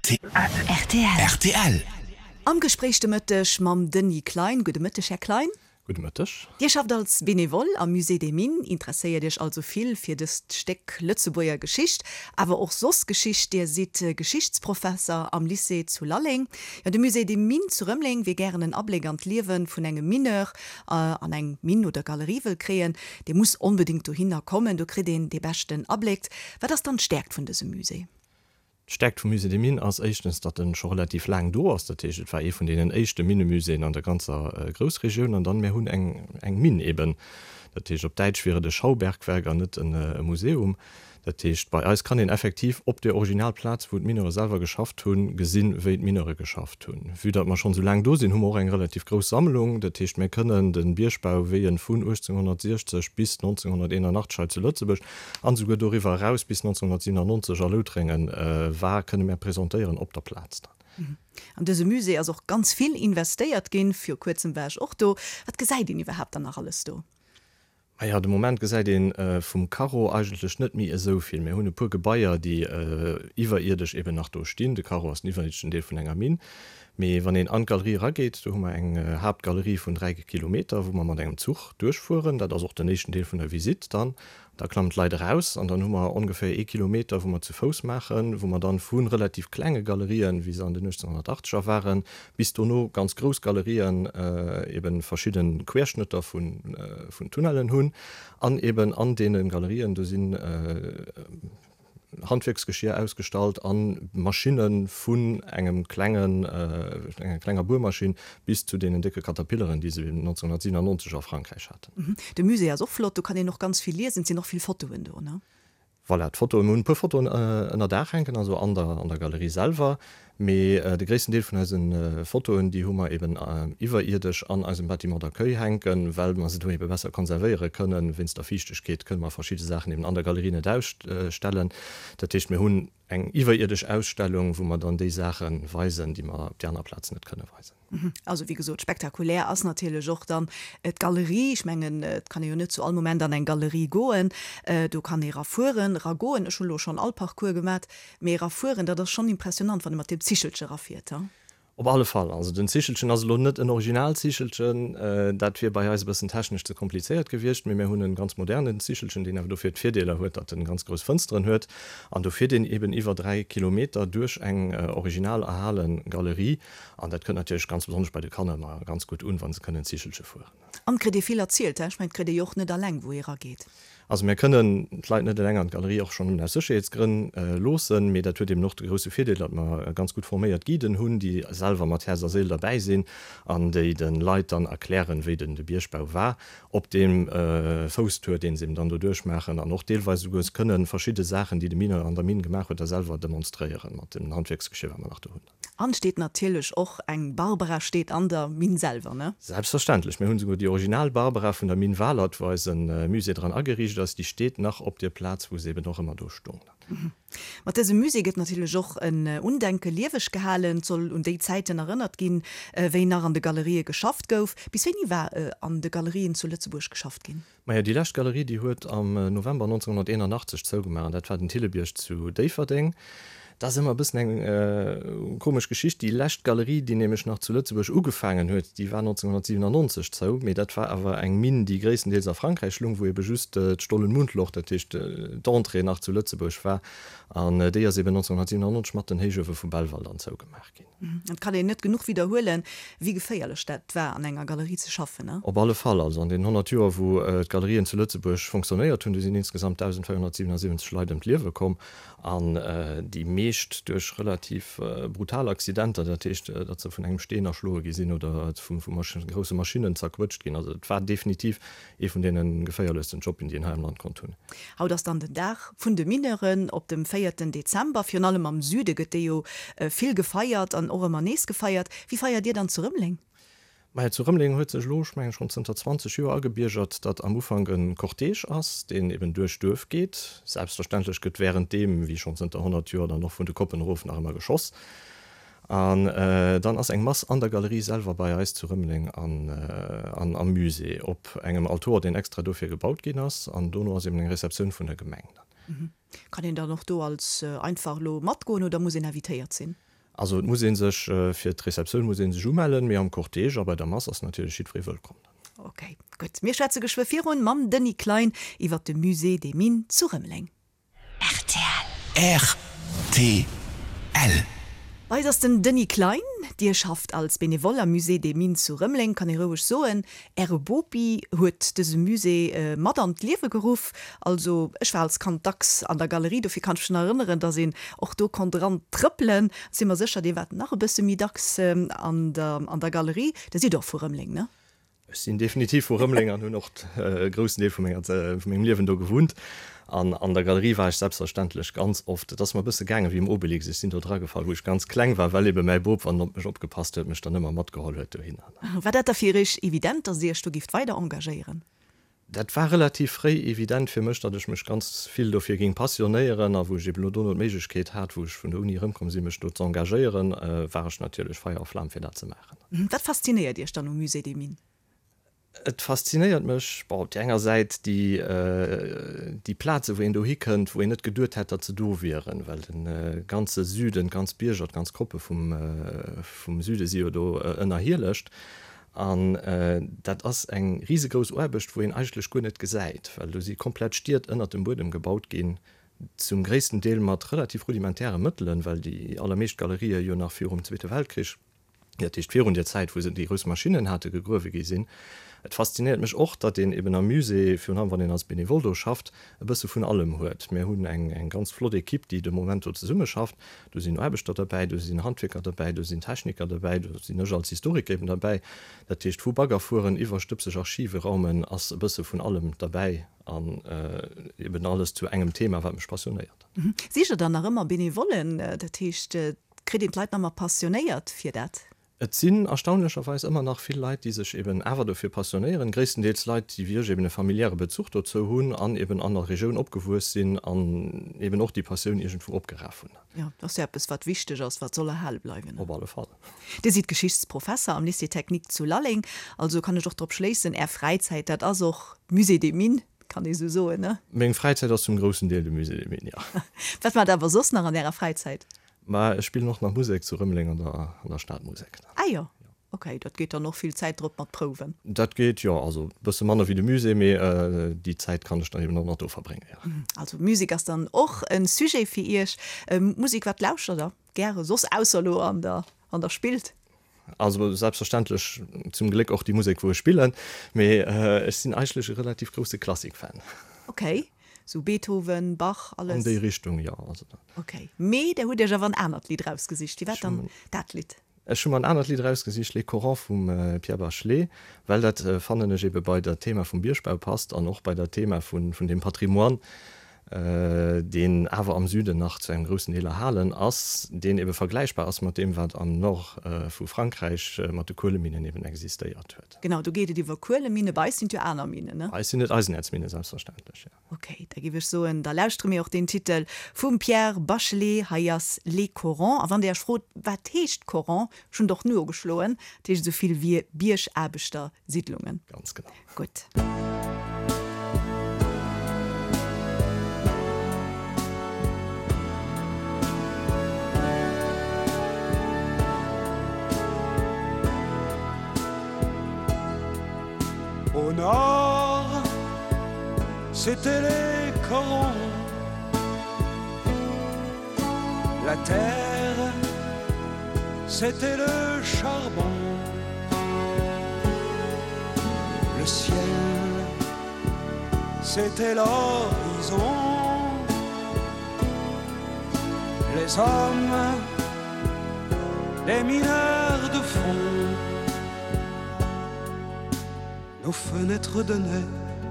Rtl. Am Gespréich de Mëtteg mam Denis Klein. Gudde Mëtteg, Här Klein. Gudde Mëtteg. Dir schafft als Benevole am Musée des Mines, interesséiert Iech also vill fir dëst Stéck Lëtzebuerger Geschicht, awer och soss Geschicht. Dir sidd Geschichtsprofesser am Lycée zu Lalleng. Jo, de Musée des Mines zu Rëmeleng, wie gären en Abléck an d'Liewe vun engem Mineur an eng Minn oder Galerie wëll kréien, dee muss onbedéngt dohinner kommen. Do kritt een dee beschten Abléck. Wat ass dann d'Stäerkt vun dësem Musée? D'Stäerkt vum Musée des Mines ass éischtens, datt en scho relativ laang do ass. Dat heescht, et war ee vun deenen éischte Minnemuséeën an der ganzer Groussregioun. An dann, mir hunn eng eng Minn eben. Dat heescht, op Däitsch wier et e Schaubergwerk an net e Museum. Dat heescht, bei eis kann een effektiv op der Originalplaz, wou d'Mineure selwer geschafft hunn, gesinn, wéi d'Mineure geschafft hunn. Vue datt mer schonn esou laang do sinn, hu mer och eng relativ grouss Sammlung. Dat heescht, mir kënnen de Biergbau, wéi en vun 1860 bis 1981 hei zu Lëtzebuerg an esouguer doriwwer eraus bis 1997 a Loutrengen war, kënne mär presentéieren op der Plaz dann. An dëse Musée ass och ganz vill investéiert ginn. Viru kuerzem war ech och do. Wat gesäit een iwwerhaapt dann nach alles do? Maja, de Moment gesäit ee vum Carreau eigentlech net méi esou vill. Mir hunn e puer Gebaier, déi iwwerierdesch eben nach do stinn. De Carreau ass den iwwerierdeschen Deel vun enger Minn. Mee wann een an d'Galerie erageet, do hu mer eng Haaptgalerie vun 3 Kilometer, wou mer mat engem Zuch duerchfueren. Dat ass och den éischten Deel vun der Visitt dann. Da klammen d'Leit eraus an dann hu mer ongeféier ee Kilometer, wou mer zu Fouss maachen, wou mer dann vu relativ klenge Galerien, wéi se an den 1880er waren, bis dono ganz grouss Galerien, eben verschidde Querschnëtter vun Tunnellen hunn an eben an deene Galerien, do sinn Handwierksgeschier ausgestallt a Maschinne vun engem klengen, enger klenger Buermaschinn bis zu deenen décke Caterpilleren, déi se 1997 a Frankräich haten. De Musée ass och flott, do kann een och ganz vill liesen, et sinn och vill Fotoen do, ne? Voilà, d'Fotoen, mir hunn e puer Fotoen ënner Daach hänken, also an der, an der Galerie selwer, Mee de gréissten Deel vun eise Fotoen, déi hu mer eben iwwerierdesch an eisem Bâtiment d'accueil hänken, well mer se do ebe besser konservéiere kënnen. Wéinst der Fiichtegkeet kënne mer verschidde Saachen eben an der Galerie net ausstellen. Dat heescht, mir hunn eng iwwerierdesch Ausstellung, wou mer dann déi Saache weisen, déi mer op déi aner Plazen net kënne weisen. Also wéi gesot, spektakulär ass natierlech och dann d'Galerie. Ech mengen, et kann ee jo net zu all Moment an eng Galerie goen. Do kann ee erafueren, eragoen. Ech hunn elo schonn all Parcours gemat. Mee erafueren, dat ass schonn impressionant, wann ee mat deem Zichelche erafiert, he? Op alle Fall. Also den Zichelchen ass elo net en Originalzichelchen, dat wier bei eis e bëssen technesch ze komplizéiert gewiescht, mee mir hunn en ganz modernen Zichelchen, deen awer dofir d'Virdeeler huet, datt en ganz grouss Fënsteren huet an do fiert een eben iwwer 3 Kilometer duerch eng original erhale Galerie an dat kënnt natierlech ganz besonnesch bei de Kanner ëmmer ganz gutt un, wa se kënnen Zichelche fueren. An et kritt ee vill erzielt, he? Ech mengen, et kritt ee jo och net alleng, wou ee erageet. Also mir kënnen d'Leit net eleng an d'Galerie, och schonn nëmmen aus Sécherheetsgrënn, loossen, mee dat huet eben och de grousse Virdeel, datt mer ganz gutt forméiert Guiden hunn, déi selwer mat Häerz a Séil derbäi sinn an déi de Leit dann erklären, wéi den de Biergbau war op deem Fousstour, deen se eben dann do duerchmaachen an och deelweis esouguer kënnen verschidde Saachen, déi de Mineur an der Minn gemaach huet, da selwer demonstréieren mat dem Handwierksgeschir, wat mer nach do hunn. An steet natierlech och eng Barbara steet an der Minn selwer, ne? Selbstverständlech, mir hunn esouguer déi original Barbara vun der Minn Walert, wou eise Musée dran ageriicht ass, déi steet nach op dier Plaz, wou se eben och ëmmer do stung. Mat dësem Musée gëtt natierlech och en Undenke lieweg gehalen. Et soll un déi Zäiten erënnert ginn, wéi nach an de Galerië geschafft gouf. Bis wéini war an de Galerien zu Lëtzebuerg geschafft ginn? Majo, déi lescht Galerie, déi huet am November 1981 zougemaach, an dat war den Thillebierg zu Déifferdeng. Dat ass ëmmer e bëssen eng komesch Geschicht. Déi lescht Galerie, déi nämlech nach zu Lëtzebuerg ugefaangen huet, déi war 1997 zou, mee dat war awer eng Minn, déi gréisstendeels a Frankräich lung, wou ebe just d'Stollen-Mundloch, dat heescht d'Entrée, nach zu Lëtzebuerg war. An déi ass eben 1997 mat den Héichuewe vu Belval dann zougemaach ginn. Et kann een net genuch widderhuelen, wéi geféierlech dat war, an enger Galerie ze schaffen. Op alle Fall. Also an deenen 100 Joer, wou d'Galerien zu Lëtzebuerg fonctionnéiert hunn, do sinn insgesamt 1.477 Leit ëm d'Liewe komm. An déi meescht duerch relativ brutal Accidenter, dat heescht, datt se vun engem Steen erschloe gi sinn oder vu grousse Maschinnen zerquëtscht ginn. Also et war definitiv Ee vun deene geféierlechsten Jobben, déi een hei am Land konnt hunn. Haut ass dann den Dag vun de Mineuren op dem véierten Dezember. Virun allem am Süde gëtt dee jo vill gefeiert an och ëmmer nees gefeiert. Wéi feiert Dir dann zu Rëmeleng? Majo, zu Rëmeleng huet sech elo, ech mengen schonn zënter 20 Joer agebiergert, datt am Ufank e Cortège ass, deen eben duerch d'Duerf geet. Selbstverständlech gëtt wärenddeem, wéi schonn zënter 100 Joer, dann och vun de Koppen erof nach ëmmer geschoss. An dann ass eng Mass an der Galerie selwer bei eis zu Rëmeleng an am Musée op engem Altor, deen extra dofir gebaut ginn ass. An dono ass eben eng Receptioun vun der Gemeng dann. Kann een dann och do als einfach elo matgoen oder muss een invitéiert sinn? Also et muss ee sech, fir d'Receptioun muss ee sech umellen, mee am Cortège a bei der Mass ass natierlech jiddweree wëllkomm. Ok, gutt. Mir schwätze geschwë virun mam Denis Klein iwwert de Musée des Mines zu Rëmeleng. Rtl. Rtl. Bei eis ass den Denis Klein. Dir schafft als Benevole am Musée des Mines zu Rëmeleng. Kann ee roueg soen, Äre Bopi huet dëse Musée mat an d'Liewe geruff. Also ech war als Kand dacks an der Galerie, dofir kann ech mech nach erënneren, datt een och do konnt eran trëppelen. Si mer sécher, Dir waart nach e bësse méi dacks an der an der Galerie. Dir sidd och vu Rëmeleng, ne? Ech sinn definitiv vu Rëmeleng an hunn och e groussen Deel vu menger, vu mengem Liewen do gewunnt. An an der Galerie war ech selbstverständlech ganz oft. Et ass mer e bësse gaange wéi um Obelix, ech sinn do dragefall, wou ech ganz kleng war, well ebe mäi Bop, wann en op mech opgepasst huet, mech dann ëmmer matgeholl huet dohinner. War dat da fir Iech evident, datt Dir Iech do gifft weider engagéieren? Dat war relativ fréi evident fir mech, datt ech mech ganz vill dofir géing passionéieren. A wou ech eben elo dono d'Méiglechkeet hat, wou ech vun der Uni erëmkomm sinn, mech do z'engagéieren, war ech natierlech Feier a Flam fir dat ze maachen. Wat faszinéiert Iech dann um Musée des Mines? Et faszinéiert mech, bon, op där enger Säit déi, déi Plaze wou een dohi kënnt, wou een net geduet hätt, datt se do wieren, well de ganze Süden, d'ganz Bierger, d'ganz Koppe vum, vum Süde si jo do ënnerhielecht. An dat ass eng risegrouss Aarbecht, wou een eigentlech guer net gesäit, well do si komplett Stied ënnert dem Buedem gebaut ginn, zum gréissten Deel mat relativ rudimentäre Mëttelen, well déi allermeescht Galerië jo nach virum Zweete Weltkrich, dat heescht virun där Zäit, wou se déi grouss Maschinnen hate, gegruewe gi sinn. Et faszinéiert mech och, datt een eben am Musée, virun allem wann een als Benevole do schafft, e bësse vun allem huet. Mir hunn eng ganz flott Equipe, déi de Moment do zesummeschafft. Do sinn Aarbechter derbäi, do sinn Handwierker derbäi, do sinn Techniker derbäi, do sinn ech als Historiker eben derbäi. Dat heescht, vu Bagger fueren iwwer stëbseg Archive raumen ass e bësse vun allem derbäi an eben alles zu engem Thema, wat mech passionéiert. Sicht Der dann nach ëmmer Benevollen? Dat heescht, kritt een d'Leit nach ëmmer passionéiert fir dat? Et sinn erstaunlecherweis ëmmer nach vill Leit, déi sech eben awer dofir passionéieren, gréisstendeels Leit, déi wéi ech eben e familiäre Bezuch dozou hunn an eben an der Regioun opgewuess sinn an eben och déi Passioun iergendwou opgeraf hunn. Jo, dat ass jo eppes, wat wichteg ass, wat soll erhale bleiwen. Op alle Fall. Dir sidd Geschichtsprofesser am Lycée Technique zu Lalleng, also kann ech och drop schléissen, Är Fräizäit, dat ass och Musée des Mines, kann ee sou soen, ne? Meng Fräizäit ass zum groussen Deel de Musée des Mines, jo. Wat maacht Der awer soss nach an Ärer Fräizäit? Mä ech spillen och nach Musek zu Rëmeleng an der an der Stadmusek. Ah jo, ok, dat geet dann och vill Zäit drop mat Prouwen. Dat geet, jo, also e bësse manner wéi de Musée, mee déi Zäit kann ech dann eben och nach do verbréngen, jo. Also Musek ass dann och e Sujet fir Iech. Musek, wat lauschtert Der gäre soss, ausser elo an der wann Der spillt? Also selbstverständlech zum Gléck och déi Musek wou ech spillen, mee ech sinn eigentlech e relativ grousse Klassik-Fan. Ok, sou Beethoven, Bach, alles? An déi Richtung, jo. Also. Ok, mee der hutt Iech awer en anert Lidd rausgesicht. Wéi war dann dat Lidd? Ech hu mer en anert Lidd erausgesicht, Les Corons vum Pierre Bachelet, well dat fannen ech ebe bei dat Thema vum Biergbau passt an och bei dat Thema vun deem Patrimoine, deen awer am Süden nach zu engem groussen Deel erhalen ass, deen ebe vergläichbar ass mat deem, wat am Nord vu Frankräich mat de Kueleminnen eben existéiert huet. Genau, do geet et iwwer Kueleminen. Bei eis sinn et jo aner Minen, ne? Bei eis sinn et Eisenäerzminen, selbstverständlech, jo. Ok, da géif ech soen, da lauschtere mir och deen Titel vum Pierre Bachelet. Hei ass Les Corons. A wann Dir Iech frot, wat heescht Coron, ech hunn et och nogeschloen, et heescht esou vill wéi Biergaarbechtersiddlungen. Ganz genau. Gutt. Au nord, c'était les corons. La terre, c'était le charbon. Le ciel, c'était l'horizon. Les hommes, les mineurs de fond. Nos fenêtres donnaient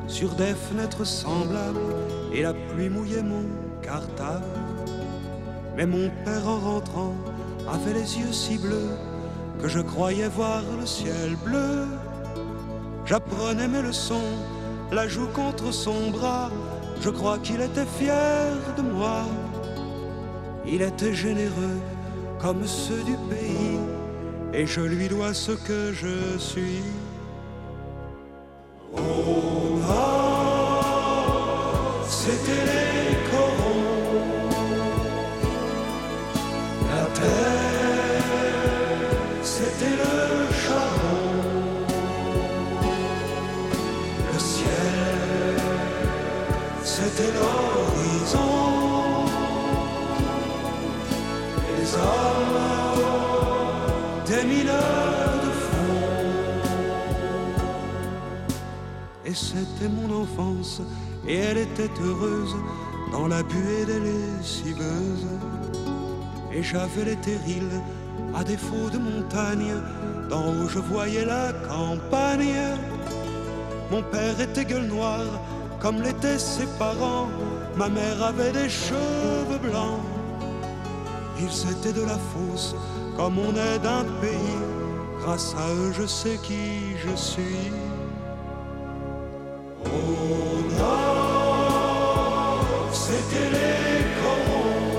sur des fenêtres semblables et la pluie mouillait mon cartable. Mais mon père en rentrant avait les yeux si bleus que je croyais voir le ciel bleu. J'apprenais mes leçons, la joue contre son bras, je crois qu'il était fier de moi. Il était généreux comme ceux du pays et je lui dois ce que je suis. Au nord, c'était les corons. La terre. Les hommes des mineurs de fond. Et c'était mon enfance et elle était heureuse dans la buée des lessiveuses. Et j'avais les terrils à défaut de montagne, d'en haut je voyais la campagne. Mon père était gueule noire, comme l'étaient ses parents, ma mère avait des cheveux blancs. Ils étaient de la fosse, comme on est d'un pays, grâce à eux je sais qui je suis. Au nord, c'était les corons.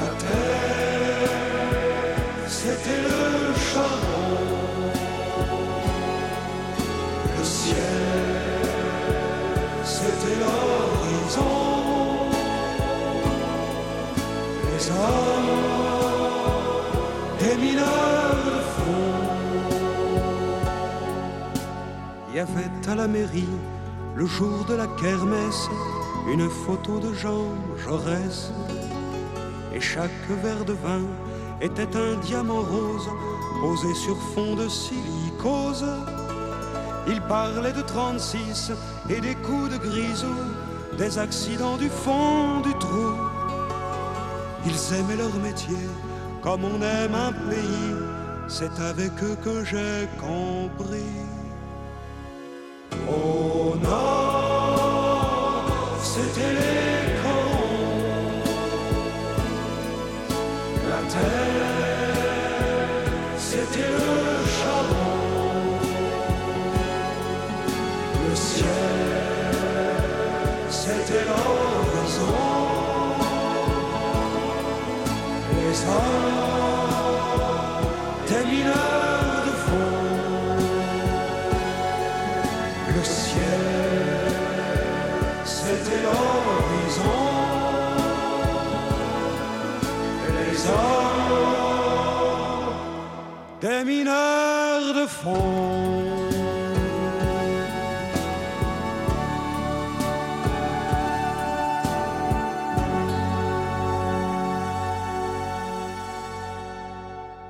La terre, c'était le charbon. Le ciel, c'était l'horizon. Les hommes, des mineurs de fond. Il y avait à la mairie, le jour de la kermesse, une photo de Jean Jaurès. Et chaque verre de vin était un diamant rose posé sur fond de silicose. Il parlait de 36 et des coups de grisou, des accidents du fond du trou. Ils aimaient leur métier comme on aime un pays, c'est avec eux que j'ai compris. Au nord, c'était les corons. La terre, c'était le charbon. Le ciel, c'était l'horizon. Les hommes, des mineurs de fond. Le ciel, c'était l'horizon. Les hommes, des mineurs de fond.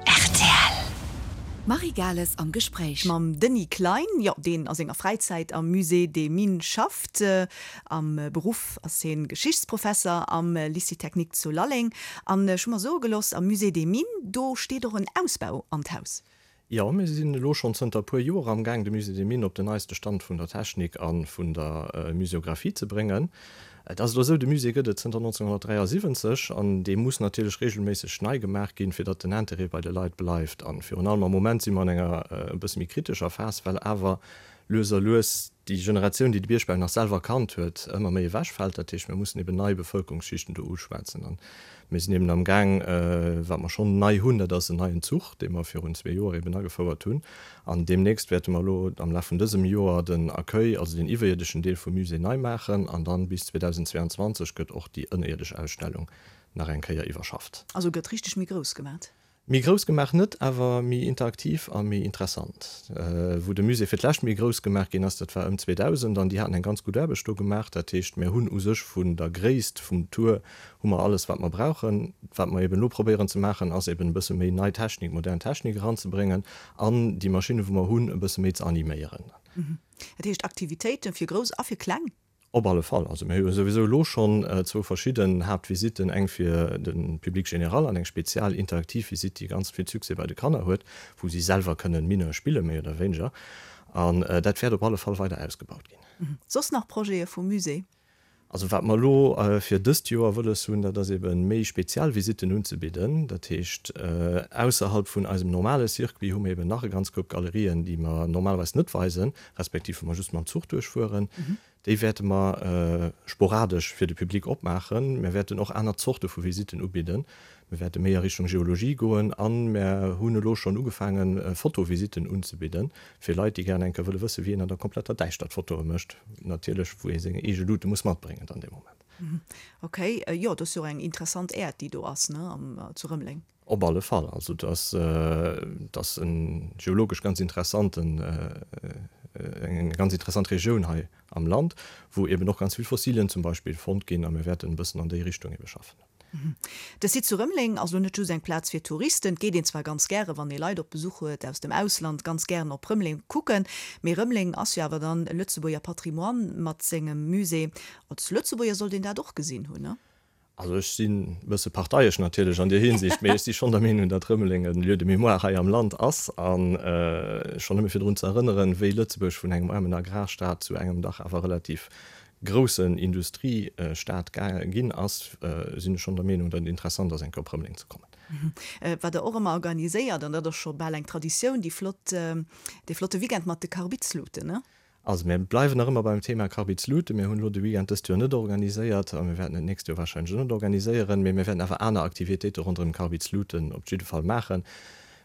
Rtl. Marie Gales am Gespréich. Mam Denis Klein, jo, deen a senger Fräizäit am Musée des Mines schafft. Am Beruff ass hien Geschichtsprofesser am Lycée Technique zu Lalleng. An ech hu mer soe gelooss, am Musée des Mines, do steet och en Ausbau an d'Haus. Jo, mir sinn elo schonn zënter e puer Joer am Gaang, de Musée des Mines op den neiste Stand vun der Technik a vun der Muséographie ze bréngen. Et ass elo esou, de Musée gëtt et zënter 1973 an dee muss natierlech regelméisseg nei gemaach ginn, fir datt den Interêt bei de Leit bleift. A virun allem am Moment si mer an enger e bësse méi kritescher Phas, well awer lues a lues déi Generatioun, déi de Biergbau nach selwer kannt huet, ëmmer méi ewechfält. Dat heescht, mir mussen eben nei Bevëlkerungsschichten do uschwätzen. An mir sinn eben am Gaang, wat mer schonn nei hunn, dat ass en neien Zuch, dee mer virun zwee Joer eben agefouert hunn. An deemnächst wäerte mer elo am Laf vun dësem Joer den Accueil, also den iwwerierdeschen Deel vum Musée nei maachen. An dann bis 2022 gëtt och déi ënnerierdesch Ausstellung nach eng Kéier iwwerschafft. Also gëtt richteg méi grouss gemat? Méi grouss gemaach net, awer méi interaktiv a méi interessant. Wou de Musée fir d'lescht méi grouss gemaach ginn ass, dat war ëm 2000, an déi haten eng ganz gutt Aarbecht do gemaach. Dat heescht, mir hunn u sech vun der Gréisst vum Tour hu mer alles, wat mer brauchen. Wat mer eben elo probéieren ze maachen, ass eben e bësse méi nei Technik, modern Technik eranzebréngen an déi Maschinne wou mer hunn, e bësse méi ze animéieren. Dat heescht Aktivitéiten fir Grouss a fir Kleng? Op alle Fall. Also mir hu jo souwisou elo schonn zwou verschidden Haaptvisitten, eng fir de Public général an eng spezial interaktiv Visitt, déi ganz vill Succès bei de Kanner huet, wou si selwer kënnen Mineur spillen, méi oder wéineger. An dat wäert op alle Fall weider ausgebaut ginn. Soss nach Projete vum Musée? Also wat mer elo fir dëst Joer wëlles hunn, dat ass ebe méi spezial Visitten unzebidden. Dat heescht, ausserhalb vun eisem normale Circuit hu mer eben nach e ganz Koup Galerien, déi mer normalerweis net weisen, respektiv wou mer just mam Zuch duerchfueren. Déi wäerte mer sporadesch fir de Public opmaachen. Mir wäerten och aner Zorte vu Visitten ubidden. Mir wäerte méi a Richtung Geologie goen a mir hunn elo schonn ugefaangen, Fotovisitten unzebidden, fir Leit, déi gären eng Kéier wëlle wëssen, wéi een an der kompletter Däischtert Fotoe mécht. Natierlech, wou ee seng eege Lute muss matbréngen dann dee Moment. Ok, jo, dat ass jo och eng interessant Äerd, déi do ass, ne, am zu Rëmeleng. Op alle Fall. Also et ass, et ass e geologesch ganz interessanten, eng ganz interessant Regioun hei am Land, wou eben och ganz vill Fossilien zum Beispill fonnt ginn a mir wäerten e bëssen an déi Richtung ebe schaffen. De Site zu Rëmeleng ass elo net just eng Plaz fir Touristen. Et geet een zwar ganz gäre, wann ee Leit op Besuch huet aus dem Ausland, ganz gären op Rëmeleng kucken, mee Rëmeleng ass jo awer dann Lëtzebuerger Patrimoine mat sengem Musée. Als Lëtzebuerger sollt een dat och gesinn hunn, ne? Also ech sinn e bësse parteiesch natierlech an deer Hinsicht, mee ech si schonn der Meenung, datt Rëmeleng e Lieu de mémoire hei am Land ass. A schonn nëmme fir drun ze erënneren, wéi Lëtzebuerg vun engem aarmen Agrarstaat zu engem dach awer relativ groussen Industriestaat ginn ass, sinn ech schonn der Meenung, datt et interessant ass, eng Kéier op Rëmeleng ze kommen. Wat Der och ëmmer organiséiert, an dat ass scho bal eng Traditioun, déi flott, dee flotte Weekend mat de Karbidsluten, ne? Also mir bleiwen nach ëmmer beim Thema Karbidslute. Mir hunn elo de Weekend dëst Joer net organiséiert a mir wäerten et d'nächst Joer wahrscheinlech och net organiséieren, mee mir wäerten awer aner Aktivitéite ronderëm Karbidsluten op jidde Fall maachen.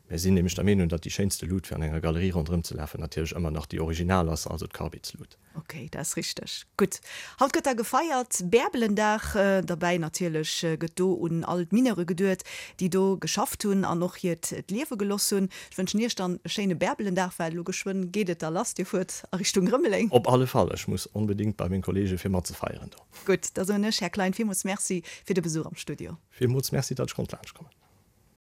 Mir sinn nämlech der Meenung, datt déi schéinste Lut fir an enger Galerie ronderëm ze lafen natierlech ëmmer nach déi original ass, also d'Karbidslut. Ok, dat ass richteg. Gutt, haut gëtt da gefeiert, Bärbelendag. Derbäi natierlech gëtt do un all d'Mineure geduet, déi do geschafft hunn an och hiert d'Liewe geloss hunn. Ech wënschen Iech dann e schéine Bärbelendag, well elo geschwënn geet et da lass, Dir fuert a Richtung Rëmeleng. Op alle Fall, ech muss onbedéngt bei meng Kollege fir matzefeieren do. Gutt, da soen ech, Här Klein, villmools Merci fir de Besuch am Studio. Villmools Merci, datt ech konnt laanschtkommen.